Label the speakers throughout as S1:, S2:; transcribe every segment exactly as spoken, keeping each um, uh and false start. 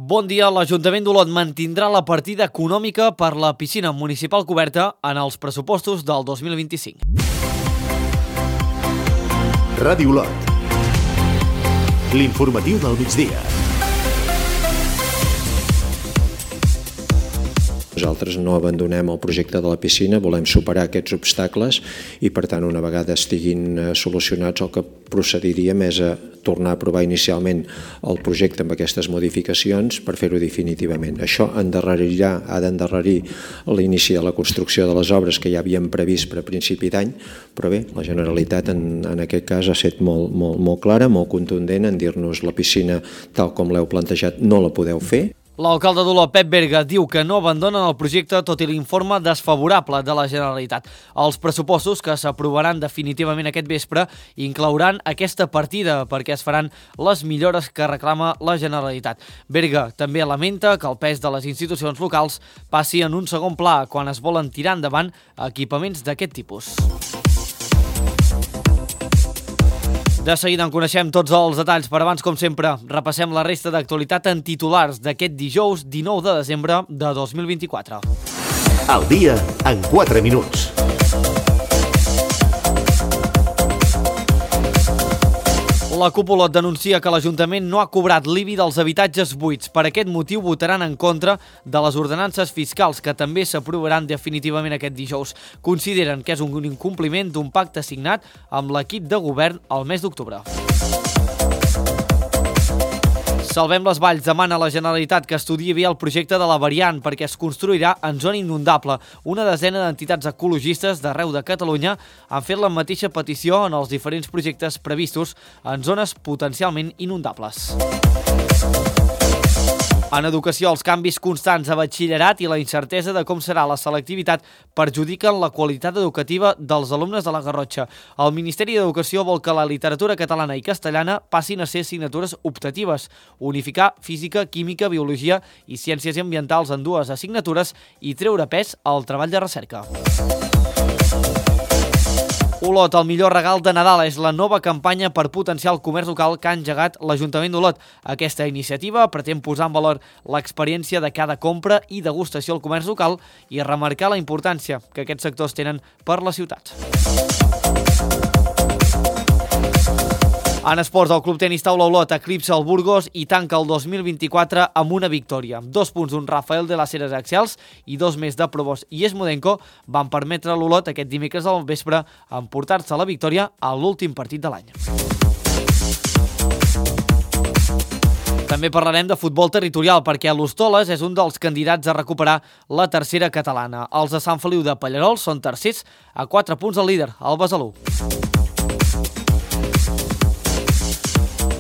S1: Bon dia. L'Ajuntament d'Olot mantindrà la partida econòmica per la piscina municipal coberta en els pressupostos del dos mil vint-i-cinc.
S2: Ràdio Olot. L'informatiu del migdia.
S3: Nosaltres no abandonem el projecte de la piscina, volem superar aquests obstacles i, per tant, una vegada estiguin solucionats, el que procediríem és a tornar a aprovar inicialment el projecte amb aquestes modificacions per fer-ho definitivament. Això endarrerirà, ha d'endarrerir l'inici de la construcció de les obres que ja havíem previst per a principi d'any, però bé, la Generalitat en, en aquest cas ha estat molt, molt, molt clara, molt contundent en dir-nos la piscina tal com l'heu plantejat no la podeu fer.
S1: L'alcalde d'Olot, Pep Berga, diu que no abandonen el projecte tot i l'informe desfavorable de la Generalitat. Els pressupostos que s'aprovaran definitivament aquest vespre inclouran aquesta partida perquè es faran les millores que reclama la Generalitat. Berga també lamenta que el pes de les institucions locals passi en un segon pla quan es volen tirar endavant equipaments d'aquest tipus. De seguida en coneixem tots els detalls, però abans, com sempre, repassem la resta d'actualitat en titulars d'aquest dijous dinou de desembre de dos mil vint-i-quatre.
S2: Al dia en quatre minuts.
S1: La CUP Olot denuncia que l'Ajuntament no ha cobrat l'I B I dels habitatges buits. Per aquest motiu votaran en contra de les ordenances fiscals que també s'aprovaran definitivament aquest dijous. Consideren que és un incompliment d'un pacte signat amb l'equip de govern el mes d'octubre. Salvem les Valls demana a la Generalitat que estudiï bé el projecte de la variant perquè es construirà en zona inundable. Una desena d'entitats ecologistes d'arreu de Catalunya han fet la mateixa petició en els diferents projectes previstos en zones potencialment inundables. En educació, els canvis constants a batxillerat i la incertesa de com serà la selectivitat perjudiquen la qualitat educativa dels alumnes de la Garrotxa. El Ministeri d'Educació vol que la literatura catalana i castellana passin a ser assignatures optatives, unificar física, química, biologia i ciències ambientals en dues assignatures i treure pes al treball de recerca. Olot, el millor regal de Nadal és la nova campanya per potenciar el comerç local que ha engegat l'Ajuntament d'Olot. Aquesta iniciativa pretén posar en valor l'experiència de cada compra i degustació al comerç local i remarcar la importància que aquests sectors tenen per la ciutat. En esports, el Club Tenis Taula Olot eclipsa el Burgos i tanca el dos mil vint-i-quatre amb una victòria. Dos punts d'un Rafael de les Heres Axials i dos més de Provost i Esmodenko van permetre a l'Olot aquest dimecres al vespre emportar-se la victòria a l'últim partit de l'any. També parlarem de futbol territorial perquè l'Hostoles és un dels candidats a recuperar la tercera catalana. Els de Sant Feliu de Pallerols són tercers a quatre punts del líder, el Besalú.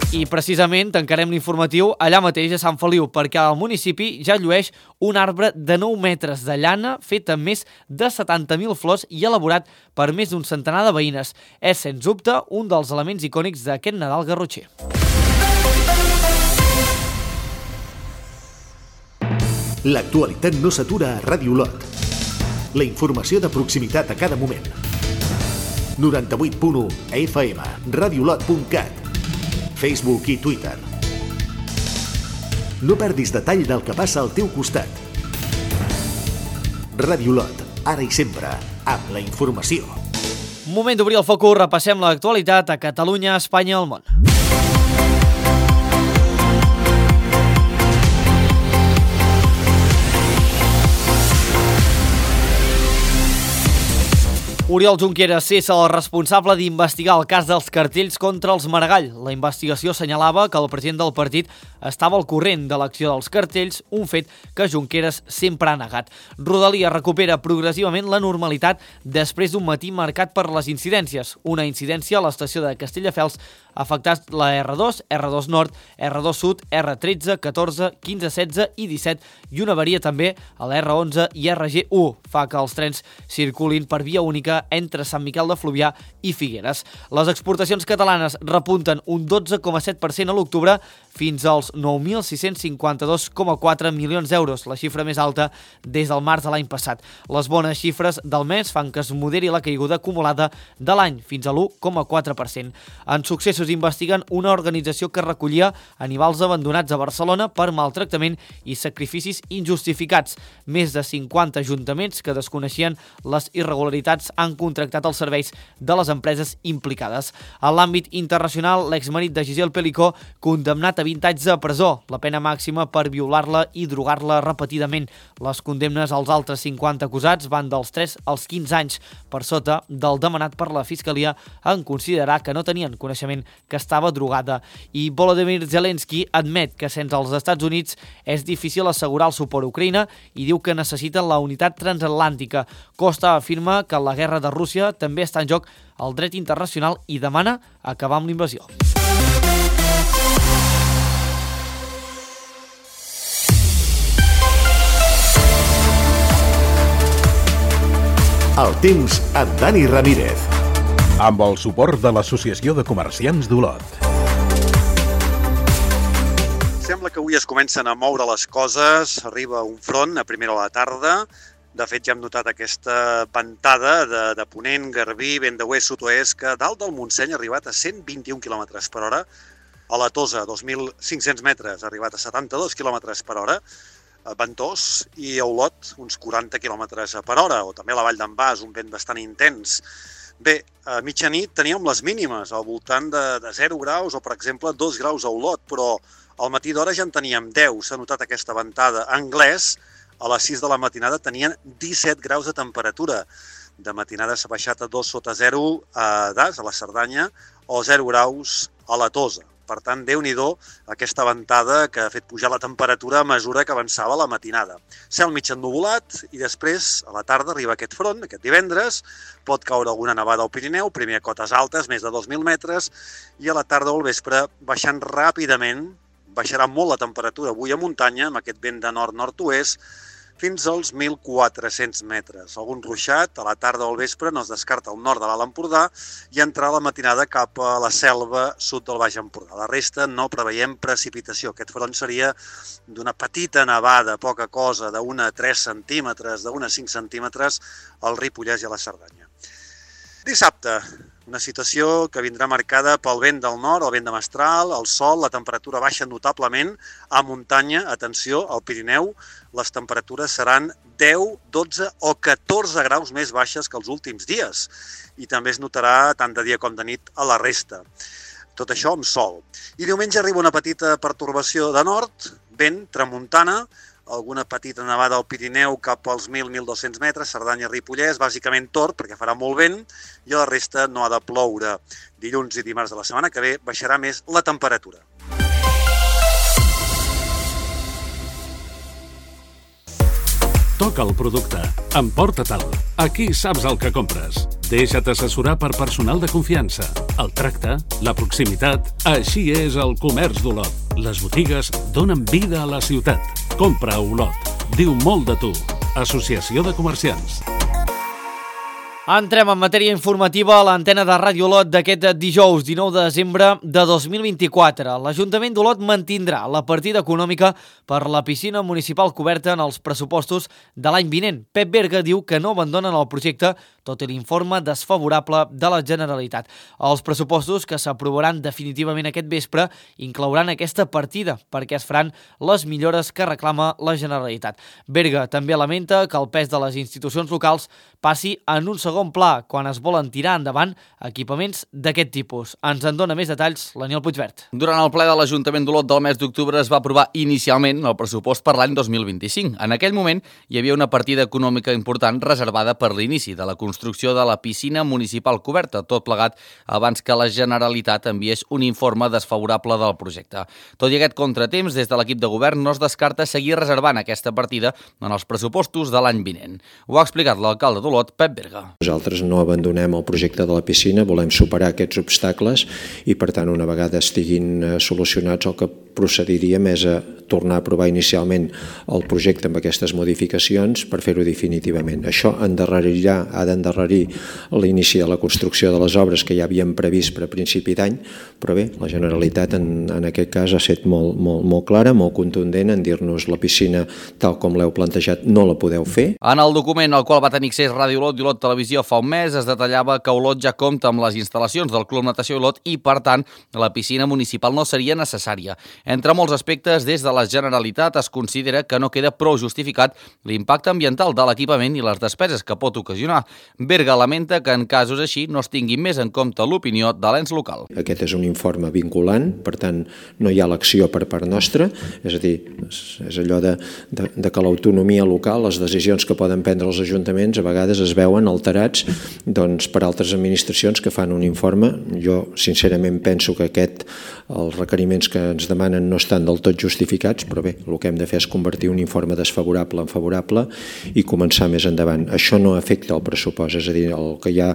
S1: I precisament tancarem l'informatiu allà mateix a Sant Feliu perquè al municipi ja llueix un arbre de nou metres de llana fet amb més de setanta mil flors i elaborat per més d'un centenar de veïnes. És, sens dubte, un dels elements icònics d'aquest Nadal garrotxer.
S2: L'actualitat no s'atura a Ràdio Olot. La informació de proximitat a cada moment. noranta-vuit punt u F M, radiolot punt cat, Facebook i Twitter. No perdis detall del que passa al teu costat. Ràdio Olot, ara i sempre, amb la informació.
S1: Moment d'obrir el focus, repassem l'actualitat a Catalunya, Espanya i el món. Oriol Junqueras cessa el responsable d'investigar el cas dels cartells contra els Maragall. La investigació assenyalava que el president del partit estava al corrent de l'acció dels cartells, un fet que Junqueras sempre ha negat. Rodalia recupera progressivament la normalitat després d'un matí marcat per les incidències. Una incidència a l'estació de Castelldefels ha afectat la erre dos, erre dos Nord, erre dos Sud, erre tretze, catorze, quinze, setze i disset i una avaria també a la erre onze i erre ge u. Fa que els trens circulin per via única frontera entre Sant Miquel de Fluvià i Figueres. Les exportacions catalanes repunten un dotze coma set per cent a l'octubre fins als nou mil sis-cents cinquanta-dos coma quatre milions d'euros, la xifra més alta des del març de l'any passat. Les bones xifres del mes fan que es moderi la caiguda acumulada de l'any fins a l'u coma quatre per cent. En Successos investiguen una organització que recollia animals abandonats a Barcelona per maltractament i sacrificis injustificats. Més de cinquanta ajuntaments que desconeixien les irregularitats han contractat els serveis de les empreses implicades. En l'àmbit internacional, l'exmarit de Giselle Pelicó, condemnat a vint anys de presó, la pena màxima per violar-la i drogar-la repetidament. Les condemnes als altres cinquanta acusats van dels tres als quinze anys, per sota del demanat per la Fiscalia en considerar que no tenien coneixement que estava drogada. I Volodymyr Zelensky admet que sense els Estats Units és difícil assegurar el suport a Ucraïna i diu que necessiten la unitat transatlàntica. Costa afirma que en la guerra de Rússia també està en joc el dret internacional i demana acabar amb l'invasió.
S2: El temps amb Dani Ramírez.
S4: Amb el suport de l'Associació de Comerciants d'Olot.
S5: Sembla que avui es comencen a moure les coses, arriba un front a primera hora de la tarda. De fet, ja hem notat aquesta ventada de, de ponent, garbí, vent d'oest, sud-oest, que dalt del Montseny ha arribat a cent vint-i-un quilòmetres per hora, a la Tosa, dos mil cinc-cents metres, ha arribat a setanta-dos quilòmetres per hora, a Ventós, i a Olot uns quaranta quilòmetres per hora, o també a la Vall d'en Bas, un vent bastant intens. Bé, a mitjanit teníem les mínimes, al voltant de, de zero graus, o per exemple dos graus a Olot, però al matí d'hora ja en teníem deu, s'ha notat aquesta ventada. A Anglès, a les sis de la matinada tenien disset graus de temperatura. De matinada s'ha baixat a dos sota zero a Das, a la Cerdanya, o zero graus a la Tosa. Per tant, Déu-n'hi-do aquesta ventada que ha fet pujar la temperatura a mesura que avançava la matinada. Cel mig ennuvolat i després, a la tarda, arriba aquest front, aquest divendres, pot caure alguna nevada al Pirineu, primer a cotes altes, més de dos mil metres, i a la tarda o al vespre, baixant ràpidament, baixarà molt la temperatura avui a muntanya, amb aquest vent de nord-nord-oest, fins als mil quatre-cents metres. Algun ruixat, a la tarda o al vespre, no es descarta al nord de l'Alt Empordà i entrar a la matinada cap a la selva sud del Baix Empordà. La resta no preveiem precipitació. Aquest front seria d'una petita nevada, poca cosa, d'una a tres centímetres, d'una a cinc centímetres al Ripollès i a la Cerdanya. Dissabte, una situació que vindrà marcada pel vent del nord, el vent de mestral, el sol, la temperatura baixa notablement. A muntanya, atenció, al Pirineu, les temperatures seran deu, dotze o catorze graus més baixes que els últims dies. I també es notarà tant de dia com de nit a la resta. Tot això amb sol. I diumenge arriba una petita pertorbació de nord, vent, tramuntana, alguna petita nevada al Pirineu cap als mil a mil dos-cents metres, Cerdanya i Ripollès, bàsicament tort perquè farà molt vent i a la resta no ha de ploure. Dilluns i dimarts de la setmana que ve baixarà més la temperatura.
S6: Toca el producte. Emporta-te'l. Aquí saps el que compres. Deixa't assessorar per personal de confiança. El tracte, la proximitat, així és el comerç d'Olot. Les botigues donen vida a la ciutat. Compra a Olot. Diu molt de tu. Associació de Comerciants.
S1: Entrem en matèria informativa a l'antena de Ràdio Olot d'aquest dijous dinou de desembre de dos mil vint-i-quatre. L'Ajuntament d'Olot mantindrà la partida econòmica per la piscina municipal coberta en els pressupostos de l'any vinent. Pep Berga diu que no abandonen el projecte tot i l'informe desfavorable de la Generalitat. Els pressupostos que s'aprovaran definitivament aquest vespre inclouran aquesta partida perquè es faran les millores que reclama la Generalitat. Berga també lamenta que el pes de les institucions locals passi en un segon pla quan es volen tirar endavant equipaments d'aquest tipus. Ens en dona més detalls l'Aniol Puigvert.
S7: Durant el ple de l'Ajuntament d'Olot del mes d'octubre es va aprovar inicialment el pressupost per l'any dos mil vint-i-cinc. En aquell moment hi havia una partida econòmica important reservada per l'inici de la construcció de la piscina municipal coberta, tot plegat abans que la Generalitat enviés un informe desfavorable del projecte. Tot i aquest contratemps, des de l'equip de govern no es descarta seguir reservant aquesta partida en els pressupostos de l'any vinent. Ho ha explicat l'alcalde d'Olot, Pep Berga.
S3: Nosaltres no abandonem el projecte de la piscina, volem superar aquests obstacles i, per tant, una vegada estiguin solucionats, el que procediríem és a tornar a aprovar inicialment el projecte amb aquestes modificacions per fer-ho definitivament. Això endarrerirà, ha d'endarrerir l'inici de la construcció de les obres que ja havíem previst per a principi d'any, però bé, la Generalitat en, en aquest cas ha estat molt, molt, molt clara, molt contundent en dir-nos la piscina tal com l'heu plantejat no la podeu fer.
S7: En el document al qual va tenir accés Ràdio Olot i Olot Televisió fa un mes es detallava que Olot ja compta amb les instal·lacions del Club Natació Olot i, per tant, la piscina municipal no seria necessària. Entre molts aspectes, des de la Generalitat es considera que no queda prou justificat l'impacte ambiental de l'equipament i les despeses que pot ocasionar. Berga lamenta que en casos així no es tingui més en compte l'opinió de l'ens local.
S3: Aquest és un informe vinculant, per tant, no hi ha l'acció per part nostra, és a dir, és allò de, de, de que l'autonomia local, les decisions que poden prendre els ajuntaments, a vegades es veuen alterats doncs, per altres administracions que fan un informe. Jo, sincerament, penso que aquest, els requeriments que ens demanen no estan del tot justificats, però bé, el que hem de fer és convertir un informe desfavorable en favorable i començar més endavant. Això no afecta el pressupost, és a dir, el que hi ha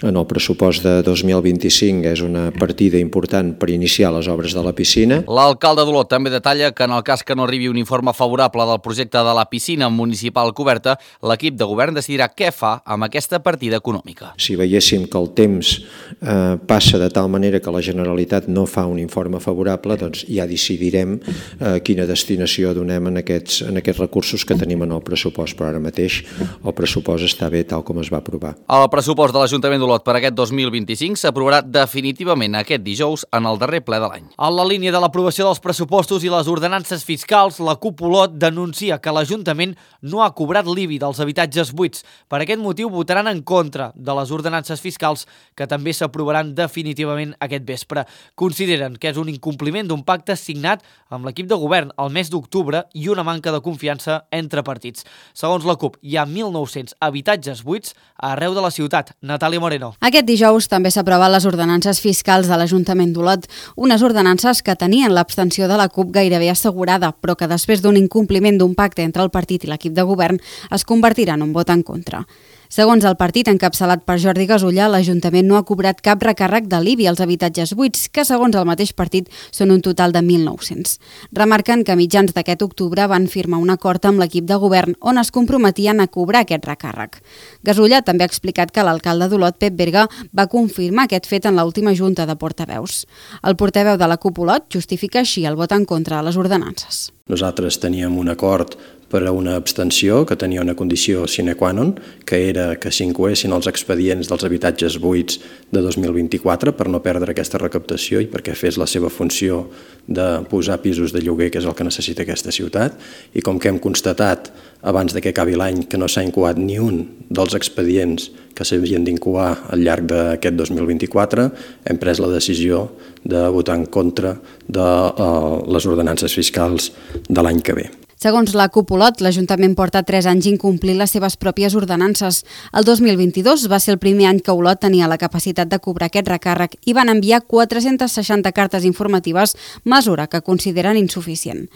S3: en el pressupost de dos mil vint-i-cinc és una partida important per iniciar les obres de la piscina.
S7: L'alcalde d'Olot també detalla que en el cas que no arribi un informe favorable del projecte de la piscina municipal coberta, l'equip de govern decidirà què fa amb aquesta partida econòmica.
S3: Si veiéssim que el temps eh, passa de tal manera que la Generalitat no fa un informe favorable, doncs ja decidirem eh, quina destinació donem en aquests, en aquests recursos que tenim en el pressupost, però ara mateix el pressupost està bé tal com es va aprovar.
S7: El pressupost de l'Ajuntament d'Olot per aquest dos mil vint-i-cinc s'aprovarà definitivament aquest dijous en el darrer ple de l'any.
S1: En la línia de l'aprovació dels pressupostos i les ordenances fiscals, la CUP Olot denuncia que l'Ajuntament no ha cobrat l'I B I dels habitatges buits. Per aquest motiu votaran en contra de les ordenances fiscals que també s'aprovaran definitivament aquest vespre. Consideren que és un incompliment d'un pacte signat amb l'equip de govern al mes d'octubre i una manca de confiança entre partits. Segons la CUP, hi ha mil nou-cents habitatges buits arreu de la ciutat. Natàlia Moreno.
S8: Aquest dijous també s'aproven les ordenances fiscals de l'Ajuntament d'Olot, unes ordenances que tenien l'abstenció de la CUP gairebé assegurada, però que després d'un incompliment d'un pacte entre el partit i l'equip de govern es convertiran en un vot en contra. Segons el partit encapçalat per Jordi Gasulla, l'Ajuntament no ha cobrat cap recàrrec de l'I B I als habitatges buits, que segons el mateix partit són un total de mil nou-cents. Remarquen que a mitjans d'aquest octubre van firmar un acord amb l'equip de govern on es comprometien a cobrar aquest recàrrec. Gasulla també ha explicat que l'alcalde d'Olot, Pep Berga, va confirmar aquest fet en l'última junta de portaveus. El portaveu de la CUP Olot justifica així el vot en contra de les ordenances.
S9: Nosaltres teníem un acord per a una abstenció que tenia una condició sine qua non, que era que s'incloguessin els expedients dels habitatges buits de dos mil vint-i-quatre per no perdre aquesta recaptació i perquè fes la seva funció de posar pisos de lloguer, que és el que necessita aquesta ciutat. I com que hem constatat abans de que acabi l'any que no s'ha incoat ni un dels expedients que s'havien d'incoar al llarg d'aquest dos mil vint-i-quatre, hem pres la decisió de votar en contra de uh, les ordenances fiscals de l'any que ve.
S8: Segons la CUP Olot, l'Ajuntament porta tres anys incomplint les seves pròpies ordenances. El dos mil vint-i-dos va ser el primer any que Olot tenia la capacitat de cobrar aquest recàrrec i van enviar quatre-centes seixanta cartes informatives, mesura que consideren insuficient.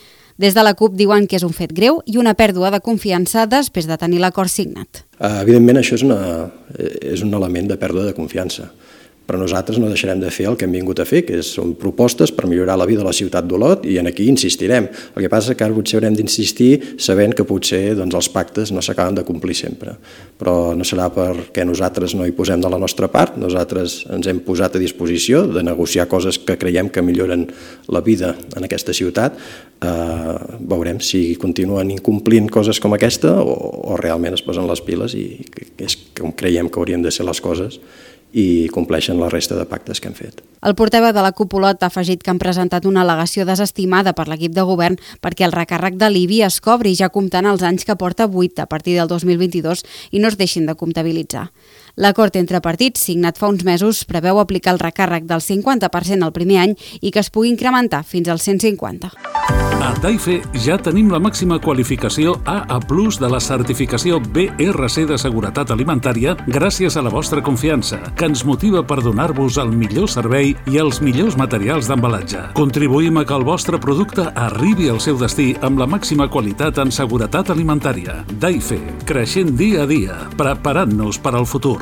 S8: Des de la CUP diuen que és un fet greu i una pèrdua de confiança després de tenir l'acord signat.
S9: Evidentment, això és, una, és un element de pèrdua de confiança. Però nosaltres no deixarem de fer el que hem vingut a fer, que són propostes per millorar la vida de la ciutat d'Olot i en aquí insistirem. El que passa és que ara potser haurem d'insistir sabent que potser doncs, els pactes no s'acaben de complir sempre. Però no serà perquè nosaltres no hi posem de la nostra part, nosaltres ens hem posat a disposició de negociar coses que creiem que milloren la vida en aquesta ciutat. Eh, veurem si continuen incomplint coses com aquesta o, o realment es posen les piles i és com creiem que haurien de ser les coses i compleixen la resta de pactes que han fet.
S8: El portaveu de la CUP Olot ha afegit que han presentat una al·legació desestimada per l'equip de govern perquè el recàrrec de l'I B I es cobri ja comptant els anys que porta buit a partir del dos mil vint-i-dos i no es deixin de comptabilitzar. L'acord entre partits, signat fa uns mesos, preveu aplicar el recàrrec del cinquanta per cent el primer any i que es pugui incrementar fins al cent cinquanta.
S6: A Taife ja tenim la màxima qualificació A A plus de la certificació B R C de seguretat alimentària gràcies a la vostra confiança, que ens motiva per donar-vos el millor servei i els millors materials d'embalatge. Contribuïm a que el vostre producte arribi al seu destí amb la màxima qualitat en seguretat alimentària. Taife, creixent dia a dia, preparant-nos per al futur.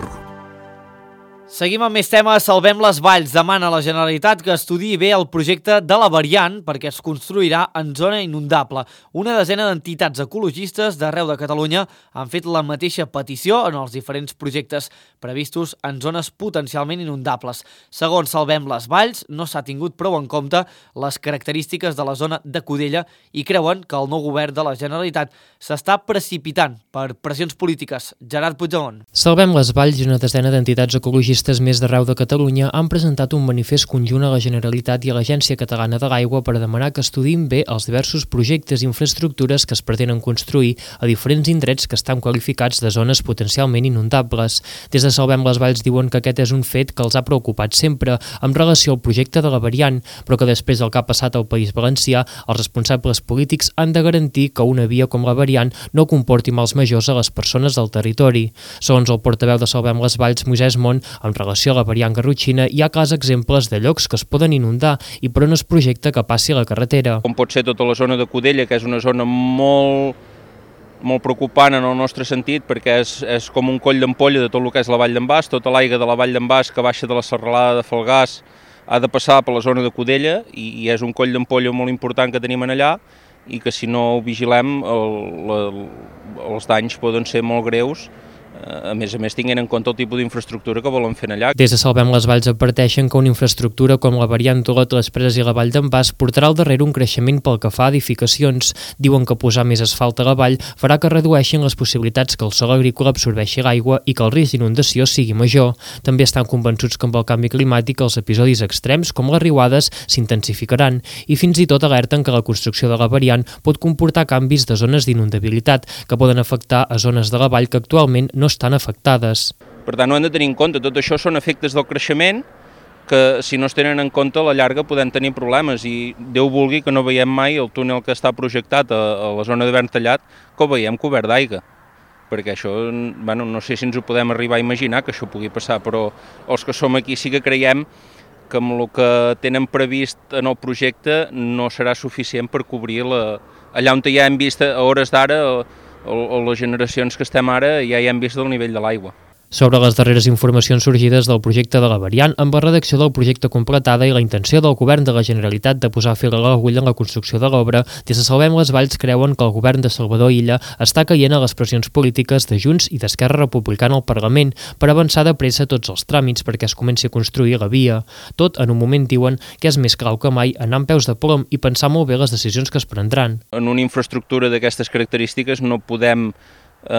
S1: Seguim amb més temes. Salvem les Valls demana a la Generalitat que estudiï bé el projecte de la variant perquè es construirà en zona inundable. Una desena d'entitats ecologistes d'arreu de Catalunya han fet la mateixa petició en els diferents projectes previstos en zones potencialment inundables. Segons Salvem les Valls, no s'ha tingut prou en compte les característiques de la zona de Cudella i creuen que el nou govern de la Generalitat s'està precipitant per pressions polítiques. Gerard Puigdemont.
S10: Salvem les Valls i una desena d'entitats ecologistes més d'arreu de Catalunya han presentat un manifest conjunt a la Generalitat i a l'Agència Catalana de l'Aigua per demanar que estudiïn bé els diversos projectes i infraestructures que es pretenen construir a diferents indrets que estan qualificats de zones potencialment inundables. Des de Salvem les Valls diuen que aquest és un fet que els ha preocupat sempre amb relació al projecte de la variant, però que després del que ha passat al País Valencià, els responsables polítics han de garantir que una via com la variant no comporti mals majors a les persones del territori. Segons el portaveu de Salvem les Valls, Moisès Mont, en relació a la variant garrotxina, hi ha clars exemples de llocs que es poden inundar i per on es projecta que passi la carretera.
S11: Com pot ser tota la zona de Cudella, que és una zona molt, molt preocupant en el nostre sentit, perquè és, és com un coll d'ampolla de tot el que és la Vall d'en Bas, tota l'aigua de la Vall d'en Bas que baixa de la serralada de Falgars ha de passar per la zona de Cudella i, i és un coll d'ampolla molt important que tenim allà i que si no ho vigilem el, el, els danys poden ser molt greus. A més a més, tinguent en compte el tipus d'infraestructura que volen fer allà.
S10: Des de Salvem les Valls adverteixen que una infraestructura com la variant Olot, les Preses i la Vall d'en Bas portarà al darrere un creixement pel que fa a edificacions. Diuen que posar més asfalt a la vall farà que redueixin les possibilitats que el sòl agrícola absorbeixi l'aigua i que el risc d'inundació sigui major. També estan convençuts que amb el canvi climàtic els episodis extrems, com les riuades, s'intensificaran i fins i tot alerten que la construcció de la variant pot comportar canvis de zones d'inundabilitat que poden afectar a zones de la vall que actualment no estan afectades.
S11: Per tant, ho hem de tenir en compte. Tot això són efectes del creixement que, si no es tenen en compte, a la llarga podem tenir problemes i Déu vulgui que no veiem mai el túnel que està projectat a, a la zona de Verntallat, que ho veiem cobert d'aigua. Perquè això, bueno, no sé si ens ho podem arribar a imaginar que això pugui passar, però els que som aquí sí que creiem que amb el que tenen previst en el projecte no serà suficient per cobrir la, allà on ja hem vist a hores d'ara o les generacions que estem ara ja hi hem vist el nivell de l'aigua.
S10: Sobre les darreres informacions sorgides del projecte de la variant, amb la redacció del projecte completada i la intenció del govern de la Generalitat de posar fil a l'agulla en la construcció de l'obra, des de Salvem les Valls creuen que el govern de Salvador Illa està caient a les pressions polítiques de Junts i d'Esquerra Republicana al Parlament per avançar de pressa tots els tràmits perquè es comenci a construir la via. Tot en un moment diuen que és més clau que mai anar amb peus de plom i pensar molt bé les decisions que es prendran.
S11: En una infraestructura d'aquestes característiques no podem Eh,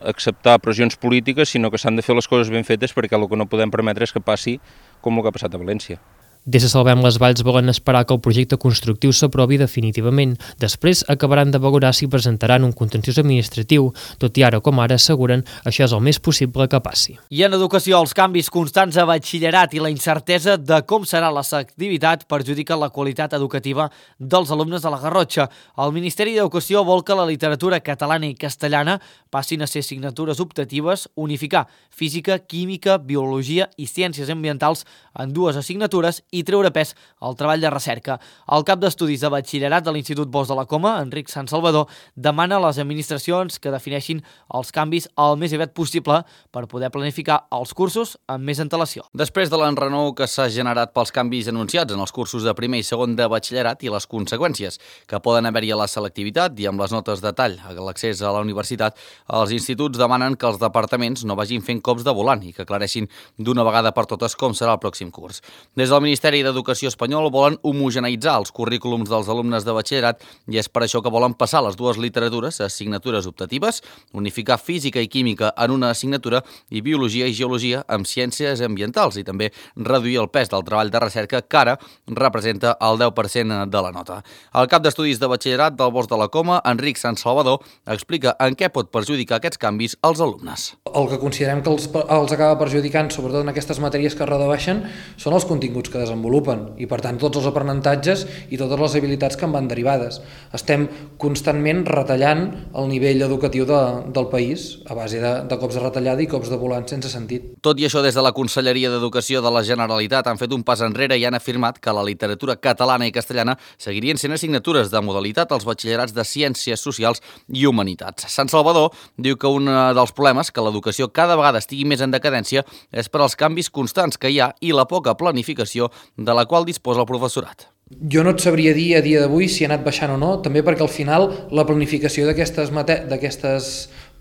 S11: acceptar pressions polítiques, sinó que s'han de fer les coses ben fetes perquè el que no podem permetre és que passi com el que ha passat a València.
S10: Des de Salvem les Valls volen esperar que el projecte constructiu s'aprovi definitivament. Després acabaran de valorar si presentaran un contenciós administratiu, tot i ara com ara asseguren això és el més possible que passi.
S1: I en educació, els canvis constants a batxillerat i la incertesa de com serà la selectivitat perjudiquen la qualitat educativa dels alumnes de la Garrotxa. El Ministeri d'Educació vol que la literatura catalana i castellana passin a ser assignatures optatives, unificar física, química, biologia i ciències ambientals en dues assignatures i treure pes al treball de recerca. El cap d'estudis de batxillerat de l'Institut Bosch de la Coma, Enric Sant Salvador, demana a les administracions que defineixin els canvis el més aviat possible per poder planificar els cursos amb més antelació.
S7: Després de l'enrenou que s'ha generat pels canvis anunciats en els cursos de primer i segon de batxillerat i les conseqüències que poden haver-hi a la selectivitat i amb les notes de tall a l'accés a la universitat, els instituts demanen que els departaments no vagin fent cops de volant i que aclareixin d'una vegada per totes com serà el pròxim curs. Des del Ministeri d'Educació espanyol volen homogeneïtzar els currículums dels alumnes de batxillerat i és per això que volen passar les dues literatures a assignatures optatives, unificar física i química en una assignatura i biologia i geologia amb ciències ambientals i també reduir el pes del treball de recerca que ara representa el deu per cent de la nota. El cap d'estudis de batxillerat del Bosch de la Coma, Enric Sant Salvador, explica en què pot perjudicar aquests canvis als alumnes.
S12: El que considerem que els, els acaba perjudicant, sobretot en aquestes matèries que es redueixen, són els continguts que desenvolupen desenvolupen i, per tant, tots els aprenentatges i totes les habilitats que en van derivades. Estem constantment retallant el nivell educatiu de, del país a base de, de cops de retallada i cops de volant sense sentit.
S7: Tot i això, des de la Conselleria d'Educació de la Generalitat han fet un pas enrere i han afirmat que la literatura catalana i castellana seguirien sent assignatures de modalitat als batxillerats de Ciències Socials i Humanitats. Sant Salvador diu que un dels problemes que l'educació cada vegada estigui més en decadència és per als canvis constants que hi ha i la poca planificació de la qual disposa el professorat.
S12: Jo no et sabria dir a dia d'avui si ha anat baixant o no, també perquè al final la planificació d'aquestes d'aquestes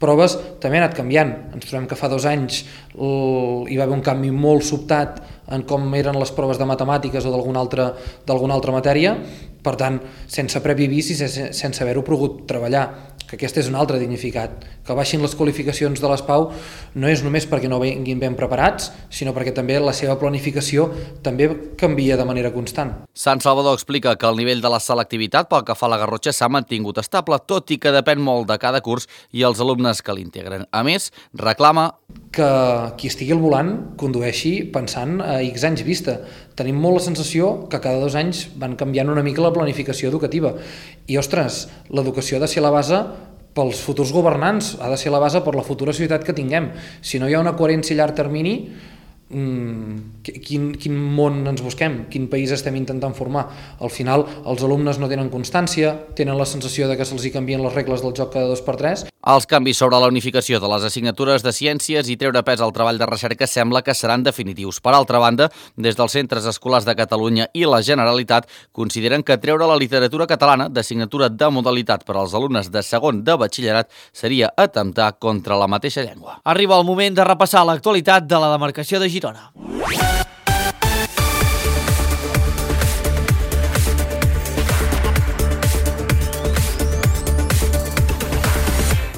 S12: proves també ha anat canviant. Ens trobem que fa dos anys hi va haver un canvi molt sobtat en com eren les proves de matemàtiques o d'alguna altra, d'alguna altra matèria, per tant, sense previ avís i sense haver-ho pogut treballar, que aquest és un altre dignificat. Que baixin les qualificacions de les P A U no és només perquè no vinguin ben preparats, sinó perquè també la seva planificació també canvia de manera constant.
S7: Sant Salvador explica que el nivell de la selectivitat pel que fa a la Garrotxa s'ha mantingut estable, tot i que depèn molt de cada curs i els alumnes que l'integren. A més, reclama
S12: que qui estigui al volant condueixi pensant a X anys vista. Tenim molt la sensació que cada dos anys van canviant una mica la planificació educativa. I, ostres, l'educació ha de ser la base pels futurs governants, ha de ser la base per la futura societat que tinguem. Si no hi ha una coherència a llarg termini, mmm, quin, quin món ens busquem? Quin país estem intentant formar? Al final, els alumnes no tenen constància, tenen la sensació de que se'ls hi canvien les regles del joc cada dos per tres.
S7: Els canvis sobre la unificació de les assignatures de ciències i treure pes al treball de recerca sembla que seran definitius. Per altra banda, des dels centres escolars de Catalunya i la Generalitat consideren que treure la literatura catalana d'assignatura de modalitat per als alumnes de segon de batxillerat seria atemptar contra la mateixa llengua.
S1: Arriba el moment de repassar l'actualitat de la demarcació de Girona.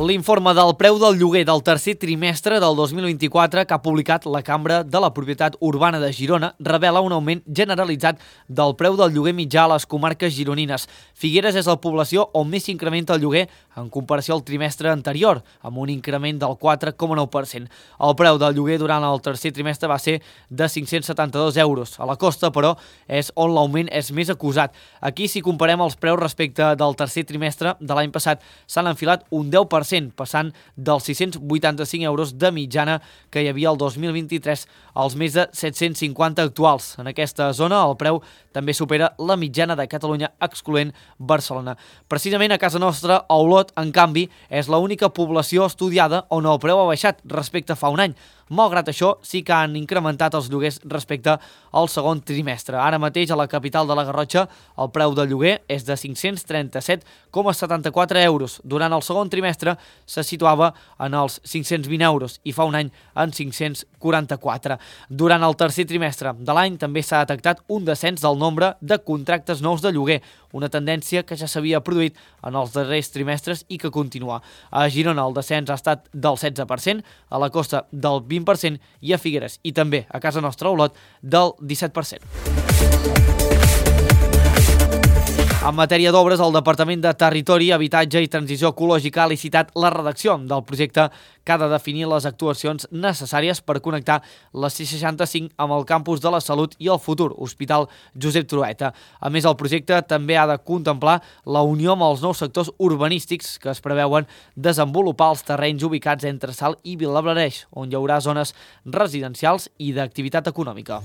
S1: L'informe del preu del lloguer del tercer trimestre del dos mil vint-i-quatre que ha publicat la Cambra de la Propietat Urbana de Girona revela un augment generalitzat del preu del lloguer mitjà a les comarques gironines. Figueres és la població on més s'incrementa el lloguer en comparació al trimestre anterior, amb un increment del quatre coma nou per cent. El preu del lloguer durant el tercer trimestre va ser de cinc-cents setanta-dos euros. A la costa, però, és on l'augment és més acusat. Aquí, si comparem els preus respecte del tercer trimestre de l'any passat, s'han enfilat un deu per cent, passant dels sis-cents vuitanta-cinc euros de mitjana que hi havia el dos mil vint-i-tres als més de set-cents cinquanta actuals. En aquesta zona el preu també supera la mitjana de Catalunya, excloent Barcelona. Precisament a casa nostra, a Olot, en canvi, és l'única població estudiada on el preu ha baixat respecte a fa un any. Malgrat això, sí que han incrementat els lloguers respecte al segon trimestre. Ara mateix, a la capital de la Garrotxa, el preu del lloguer és de cinc-cents trenta-set coma setanta-quatre euros. Durant el segon trimestre se situava en els cinc-cents vint euros i fa un any en cinc-cents quaranta-quatre. Durant el tercer trimestre de l'any també s'ha detectat un descens del nombre de contractes nous de lloguer, una tendència que ja s'havia produït en els darrers trimestres i que continua. A Girona el descens ha estat del setze per cent, a la costa del vint per cent i a Figueres i també a casa nostra a Olot del disset per cent. En matèria d'obres, el Departament de Territori, Habitatge i Transició Ecològica ha licitat la redacció del projecte que ha de definir les actuacions necessàries per connectar la C seixanta-cinc amb el campus de la Salut i el futur Hospital Josep Trueta. A més, el projecte també ha de contemplar la unió amb els nous sectors urbanístics que es preveuen desenvolupar els terrenys ubicats entre Salt i Vilablareix, on hi haurà zones residencials i d'activitat econòmica.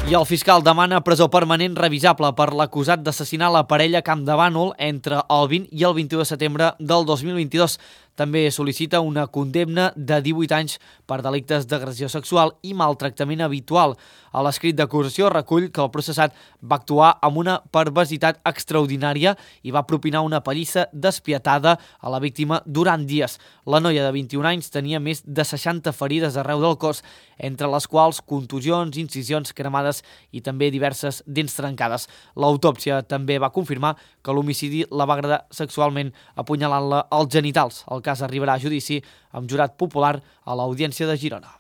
S1: I el fiscal demana presó permanent revisable per l'acusat d'assassinar la parella Campdevànol entre el vint i el vint-i-u de setembre del dos mil vint-i-dos. També sol·licita una condemna de divuit anys per delictes d'agressió sexual i maltractament habitual. A l'escrit d'acusació recull que el processat va actuar amb una perversitat extraordinària i va propinar una pallissa despietada a la víctima durant dies. La noia de vint-i-un anys tenia més de seixanta ferides arreu del cos, entre les quals contusions, incisions cremades i també diverses dents trencades. L'autòpsia també va confirmar que l'homicidi la va agradar sexualment apunyalant-la als genitals. El cas arribarà a judici amb jurat popular a l'Audiència de Girona.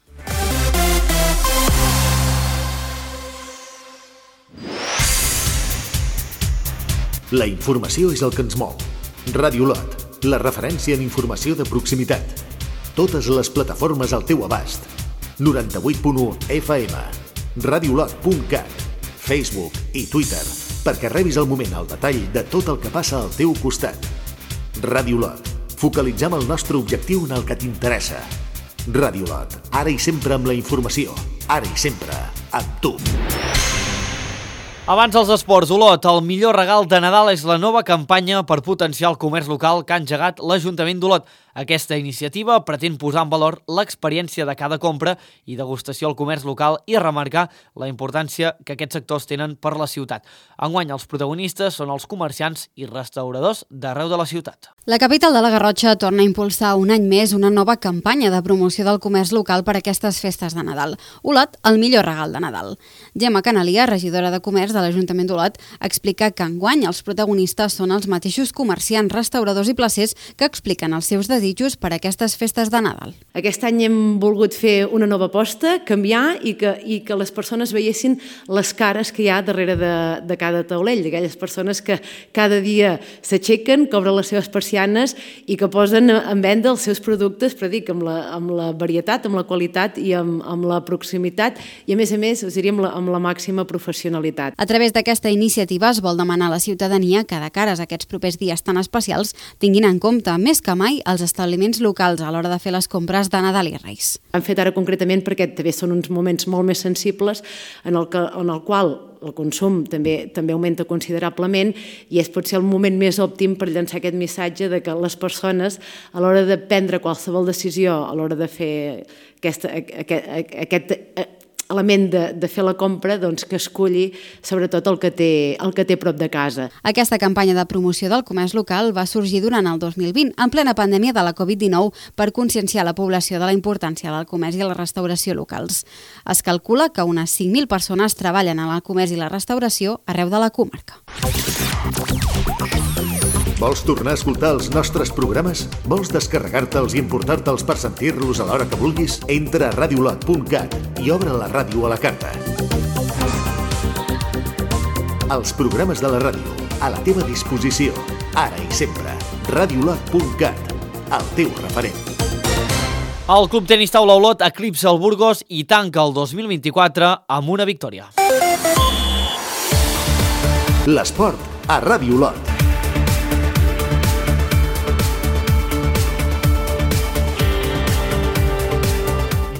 S2: La informació és el que ens mou. Ràdio Olot, la referència en informació de proximitat. Totes les plataformes al teu abast. noranta-vuit punt u F M, radiolot punt cat, Facebook i Twitter, perquè rebis al moment el detall de tot el que passa al teu costat. Radiolot. Focalitzem el nostre objectiu en el que t'interessa. Radiolot. Ara i sempre amb la informació. Ara i sempre amb tu.
S1: Abans dels esports, Olot, el millor regal de Nadal és la nova campanya per potenciar el comerç local que ha engegat l'Ajuntament d'Olot. Aquesta iniciativa pretén posar en valor l'experiència de cada compra i degustació al comerç local i remarcar la importància que aquests sectors tenen per la ciutat. Enguany, els protagonistes són els comerciants i restauradors d'arreu de la ciutat.
S8: La capital de la Garrotxa torna a impulsar un any més una nova campanya de promoció del comerç local per a aquestes festes de Nadal. Olot, el millor regal de Nadal. Gemma Canalia, regidora de Comerç de l'Ajuntament d'Olot, explica que enguany els protagonistes són els mateixos comerciants, restauradors i placers que expliquen els seus desitjos per a aquestes festes de Nadal.
S13: Aquest any hem volgut fer una nova aposta, canviar i que, i que les persones veiessin les cares que hi ha darrere de, de cada taulell, d'aquelles persones que cada dia s'aixequen, que obren les seves persianes i que posen en venda els seus productes, però dic, amb la, amb la varietat, amb la qualitat i amb, amb la proximitat i, a més a més, us diria, amb la, amb la màxima professionalitat.
S8: A través d'aquesta iniciativa es vol demanar a la ciutadania que, de cares a aquests propers dies tan especials, tinguin en compte més que mai els establiments locals a l'hora de fer les compres de Nadal i Reis.
S13: Han fet ara concretament perquè també són uns moments molt més sensibles en el, que, en el qual el consum també també augmenta considerablement i és potser el moment més òptim per llançar aquest missatge de que les persones, a l'hora de prendre qualsevol decisió, a l'hora de fer aquesta, aquest, aquest element de, de fer la compra, doncs que escolli sobretot el que, té, el que té prop de casa.
S8: Aquesta campanya de promoció del comerç local va sorgir durant el dos mil vint, en plena pandèmia de la covid dinou, per conscienciar la població de la importància del comerç i la restauració locals. Es calcula que unes cinc mil persones treballen en el comerç i la restauració arreu de la comarca.
S2: Vols tornar a escoltar els nostres programes? Vols descarregar-te'ls i importar-te'ls per sentir-los a l'hora que vulguis? Entra a radiolot punt cat i obre la ràdio a la carta. Els programes de la ràdio, a la teva disposició, ara i sempre. radiolot punt cat, el teu referent.
S1: El Club Tenis Taula Olot eclipsa el Burgos i tanca el dos mil vint-i-quatre amb una victòria.
S2: L'esport a Ràdio Olot.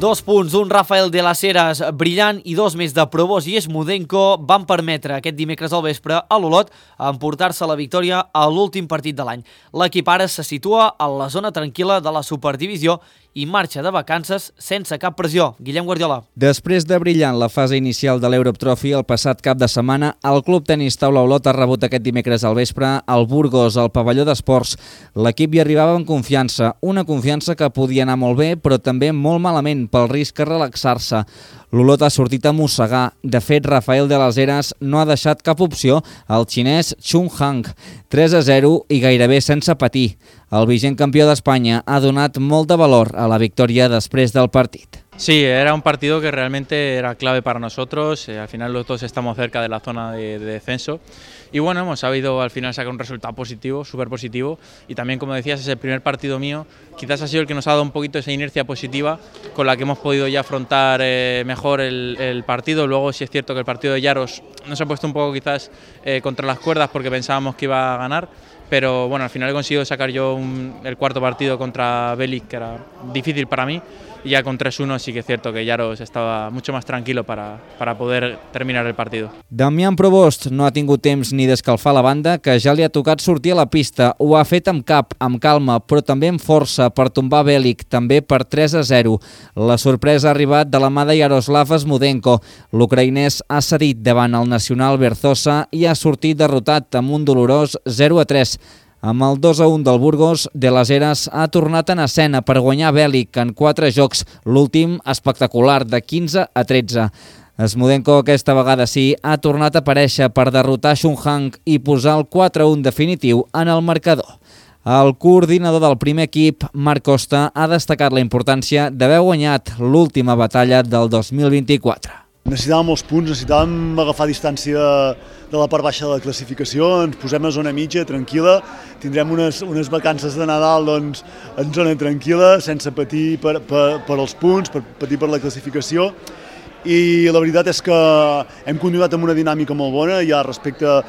S1: Dos punts, un Rafael de las Heras brillant i dos més de Probos i Esmudenko van permetre aquest dimecres al vespre a l'Olot emportar-se la victòria a l'últim partit de l'any. L'equip ara se situa a la zona tranquil·la de la Superdivisió i marxa de vacances sense cap pressió. Guillem Guardiola.
S14: Després de brillar en la fase inicial de l'Europe Trophy el passat cap de setmana, el Club Tenis Taula Olot ha rebut aquest dimecres al vespre al Burgos, al pavelló d'esports. L'equip hi arribava amb confiança, una confiança que podia anar molt bé, però també molt malament pel risc de relaxar-se. L'Olot ha sortit a mossegar. De fet, Rafael de las Heras no ha deixat cap opció al xinès Chung Hang. tres a zero i gairebé sense patir. El vigent campió d'Espanya ha donat molt de valor a la victòria després del partit.
S15: Sí, era un partido que realmente era clave para nosotros, eh, al final los dos estamos cerca de la zona de, de descenso y bueno, hemos sabido al final sacar un resultado positivo, súper positivo y también, como decías, es el primer partido mío, quizás ha sido el que nos ha dado un poquito esa inercia positiva con la que hemos podido ya afrontar eh, mejor el, el partido. Luego sí es cierto que el partido de Yaros nos ha puesto un poco quizás eh, contra las cuerdas porque pensábamos que iba a ganar, pero bueno, al final he conseguido sacar yo un, el cuarto partido contra Belic, que era difícil para mí, y ya con tres uno sí que es cierto que Yaros estava mucho más tranquilo para, para poder terminar el partido.
S14: Damián Provost no ha tingut temps ni d'escalfar la banda, que ja li ha tocat sortir a la pista. Ho ha fet amb cap, amb calma, però també amb força per tombar Belic, també per tres a zero. La sorpresa ha arribat de la mà de Yaroslav Esmudenko. L'ucraïnès ha cedit davant el nacional Berzosa i ha sortit derrotat amb un dolorós zero a tres. Amb el dos a un del Burgos, de las Heras ha tornat en escena per guanyar Belic en quatre jocs, l'últim espectacular de quinze a tretze. Esmudenko aquesta vegada sí ha tornat a aparèixer per derrotar Chung Hang i posar el quatre a un definitiu en el marcador. El coordinador del primer equip, Marc Costa, ha destacat la importància d'haver guanyat l'última batalla del dos mil vint-i-quatre.
S16: Necessitàvem molts punts, necessitàvem agafar distància de la part baixa de la classificació, ens posem a zona mitja, tranquil·la, tindrem unes, unes vacances de Nadal doncs, en zona tranquil·la, sense patir per, per, per els punts, per patir per la classificació, i la veritat és que hem continuat amb una dinàmica molt bona, ja respecte a,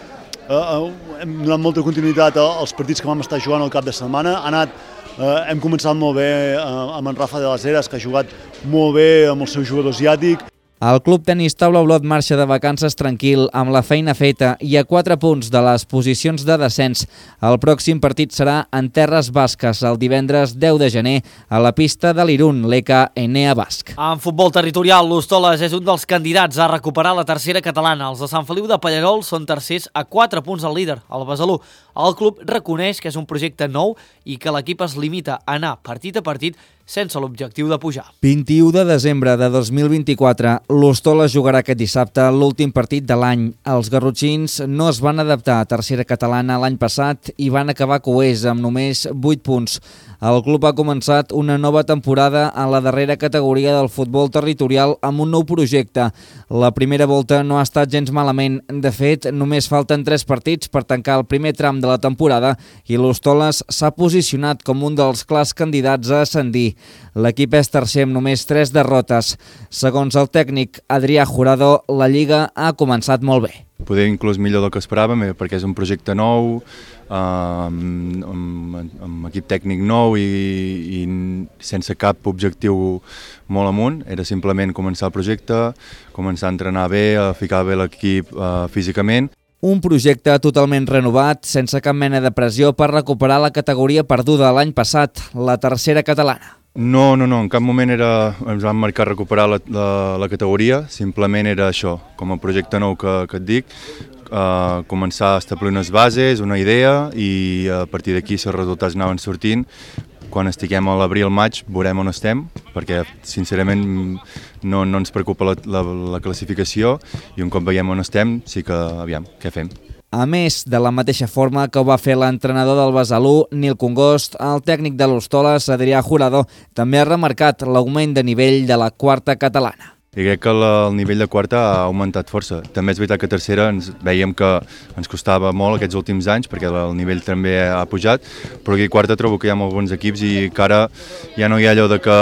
S16: a, hem donat molta continuïtat als partits que vam estar jugant al cap de setmana, ha anat, eh, hem començat molt bé amb en Rafa de las Heras, que ha jugat molt bé amb el seu jugador asiàtic.
S14: El Club Tenis Taula Olot marxa de vacances tranquil, amb la feina feta i a quatre punts de les posicions de descens. El pròxim partit serà en Terres Basques, el divendres deu de gener, a la pista de l'Irun, l'E K Enea Basc.
S1: En futbol territorial, l'Hostoles és un dels candidats a recuperar la tercera catalana. Els de Sant Feliu de Pallerols són tercers a quatre punts al líder, el Besalú. El club reconeix que és un projecte nou i que l'equip es limita a anar partit a partit sense l'objectiu de pujar.
S14: vint-i-u de desembre de dos mil vint-i-quatre, l'Hostoles jugarà aquest dissabte l'últim partit de l'any. Els garrotxins no es van adaptar a tercera catalana l'any passat i van acabar coers amb només vuit punts. El club ha començat una nova temporada a la darrera categoria del futbol territorial amb un nou projecte. La primera volta no ha estat gens malament. De fet, només falten tres partits per tancar el primer tram de la temporada i l'Hostoles s'ha posicionat com un dels clars candidats a ascendir. L'equip és tercer amb només tres derrotes. Segons el tècnic Adrià Jurado, la Lliga ha començat molt bé.
S17: Poder inclús millor del que esperàvem, perquè és un projecte nou, amb, amb, amb equip tècnic nou i, i sense cap objectiu molt amunt. Era simplement començar el projecte, començar a entrenar bé, a ficar bé l'equip eh, físicament.
S14: Un projecte totalment renovat, sense cap mena de pressió per recuperar la categoria perduda l'any passat, la tercera catalana.
S17: No, no, no, en cap moment era, ens vam marcar recuperar la, la, la categoria, simplement era això, com a projecte nou que, que et dic, eh, començar a establir unes bases, una idea i a partir d'aquí si els resultats anaven sortint, quan estiguem a l'abril-maig veurem on estem, perquè sincerament no, no ens preocupa la, la, la classificació i un cop veiem on estem sí que, aviam, què fem?
S14: A més, de la mateixa forma que ho va fer l'entrenador del Besalú, Nil Congost, el tècnic de l'Hostoles, Adrià Jurado, també ha remarcat l'augment de nivell de la quarta catalana.
S17: I crec que el nivell de quarta ha augmentat força. També és veritat que tercera ens veiem que ens costava molt aquests últims anys perquè el nivell també ha pujat, però aquí quarta trobo que hi ha molt bons equips i que ara ja no hi ha allò de que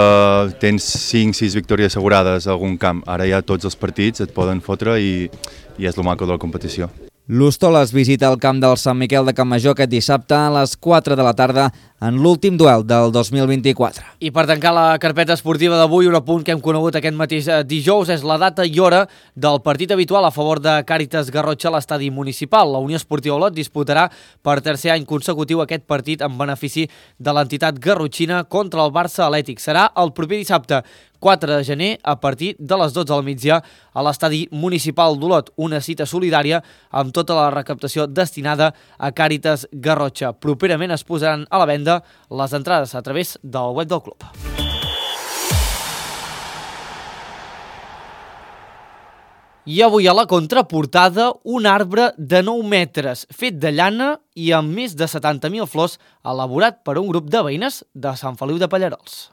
S17: tens cinc sis victòries assegurades a algun camp. Ara ja tots els partits et poden fotre i, i és el maco de la competició.
S14: L'Hostoles visita el camp del Sant Miquel de Campmajor aquest dissabte a les quatre de la tarda en l'últim duel del dos mil vint-i-quatre.
S1: I per tancar la carpeta esportiva d'avui, un apunt que hem conegut aquest mateix dijous és la data i hora del partit habitual a favor de Càritas Garrotxa a l'estadi municipal. La Unió Esportiva Olot disputarà per tercer any consecutiu aquest partit en benefici de l'entitat garrotxina contra el Barça Atlètic. Serà el proper dissabte, quatre de gener, a partir de les dotze del migdia a l'estadi municipal d'Olot, una cita solidària amb tota la recaptació destinada a Càritas Garrotxa. Properament es posaran a la venda les entrades a través del web del club. I avui a la contraportada, un arbre de nou metres, fet de llana i amb més de setanta mil flors, elaborat per un grup de veïnes de Sant Feliu de Pallerols.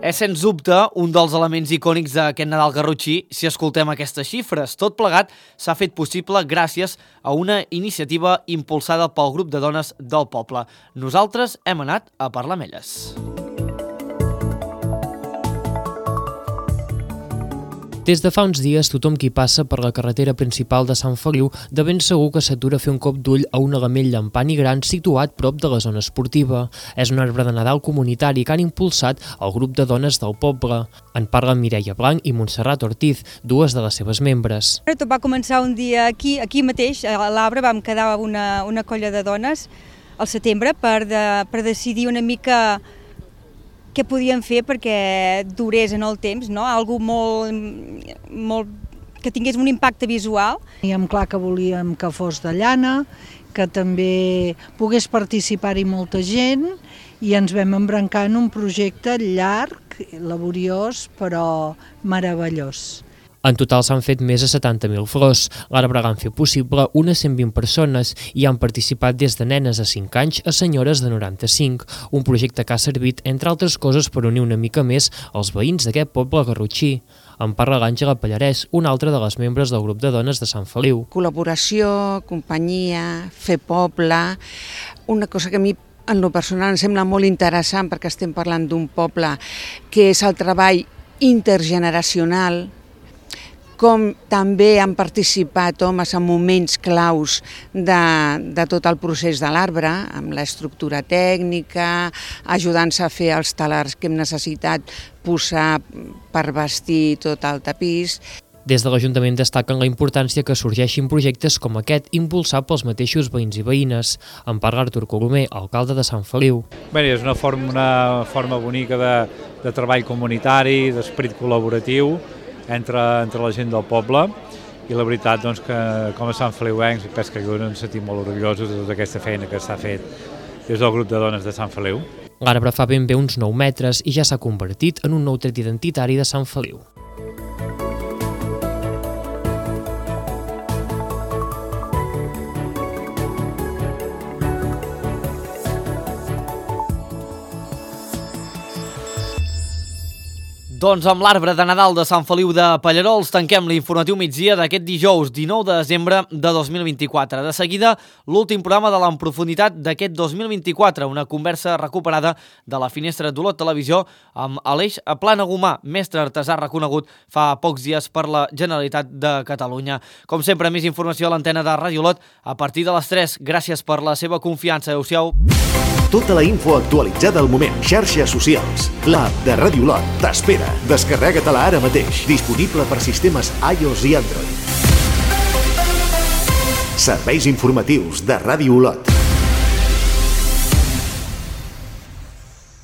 S1: És, sens dubte, un dels elements icònics d'aquest Nadal garrotxí si escoltem aquestes xifres. Tot plegat s'ha fet possible gràcies a una iniciativa impulsada pel grup de dones del poble. Nosaltres hem anat a parlar amb elles.
S10: Des de fa uns dies, tothom qui passa per la carretera principal de Sant Feliu de ben segur que s'atura a fer un cop d'ull a un element llampant i gran situat prop de la zona esportiva. És un arbre de Nadal comunitari que han impulsat el grup de dones del poble. En parlen Mireia Blanc i Montserrat Ortiz, dues de les seves membres.
S18: Tot va començar un dia aquí, aquí mateix, a l'Arbre, vam quedar una, una colla de dones al setembre per, de, per decidir una mica què podíem fer perquè durés en el temps, no? Algo molt, molt, que tingués un impacte visual.
S19: Teníem clar que volíem que fos de llana, que també pogués participar-hi molta gent i ens vam embrancar en un projecte llarg, laboriós, però meravellós.
S10: En total s'han fet més de setanta mil flors. L'arbre han fet possible unes cent vint persones i han participat des de nenes de cinc anys a senyores de noranta-cinc, un projecte que ha servit, entre altres coses, per unir una mica més els veïns d'aquest poble garrotxí. En parla l'Àngela Pallarès, una altra de les membres del grup de dones de Sant Feliu.
S20: Col·laboració, companyia, fer poble, una cosa que a mi en lo personal em sembla molt interessant perquè estem parlant d'un poble que és el treball intergeneracional, com també han participat homes en moments claus de, de tot el procés de l'arbre, amb l'estructura tècnica, ajudant-se a fer els talars que hem necessitat posar per vestir tot el tapís.
S10: Des de l'Ajuntament destaquen la importància que sorgeixin projectes com aquest impulsat pels mateixos veïns i veïnes. En parla Artur Colomer, alcalde de Sant Feliu.
S21: Bé, és una forma, una forma bonica de, de treball comunitari, d'esperit col·laboratiu entre, entre la gent del poble, i la veritat doncs, que com a Sant Feliuencs penso que ens sentim molt orgullosos de tota aquesta feina que s'ha fet des del grup de dones de Sant Feliu.
S10: L'arbre fa ben bé uns nou metres i ja s'ha convertit en un nou tret identitari de Sant Feliu.
S1: Doncs amb l'arbre de Nadal de Sant Feliu de Pallerols tanquem l'informatiu migdia d'aquest dijous dinou de desembre de dos mil vint-i-quatre. De seguida, l'últim programa de l'En Profunditat d'aquest dos mil vint-i-quatre, una conversa recuperada de la Finestra d'Olot Televisió amb Aleix Planagumà, mestre artesà reconegut fa pocs dies per la Generalitat de Catalunya. Com sempre, més informació a l'antena de Ràdio Olot a partir de les tres. Gràcies per la seva confiança. Adéu-siau.
S2: Tota la info actualitzada al moment. Xarxes socials. L'app de Ràdio Olot t'espera. Descarrega-te-la ara mateix. Disponible per sistemes iOS i Android. Serveis informatius de Ràdio Olot.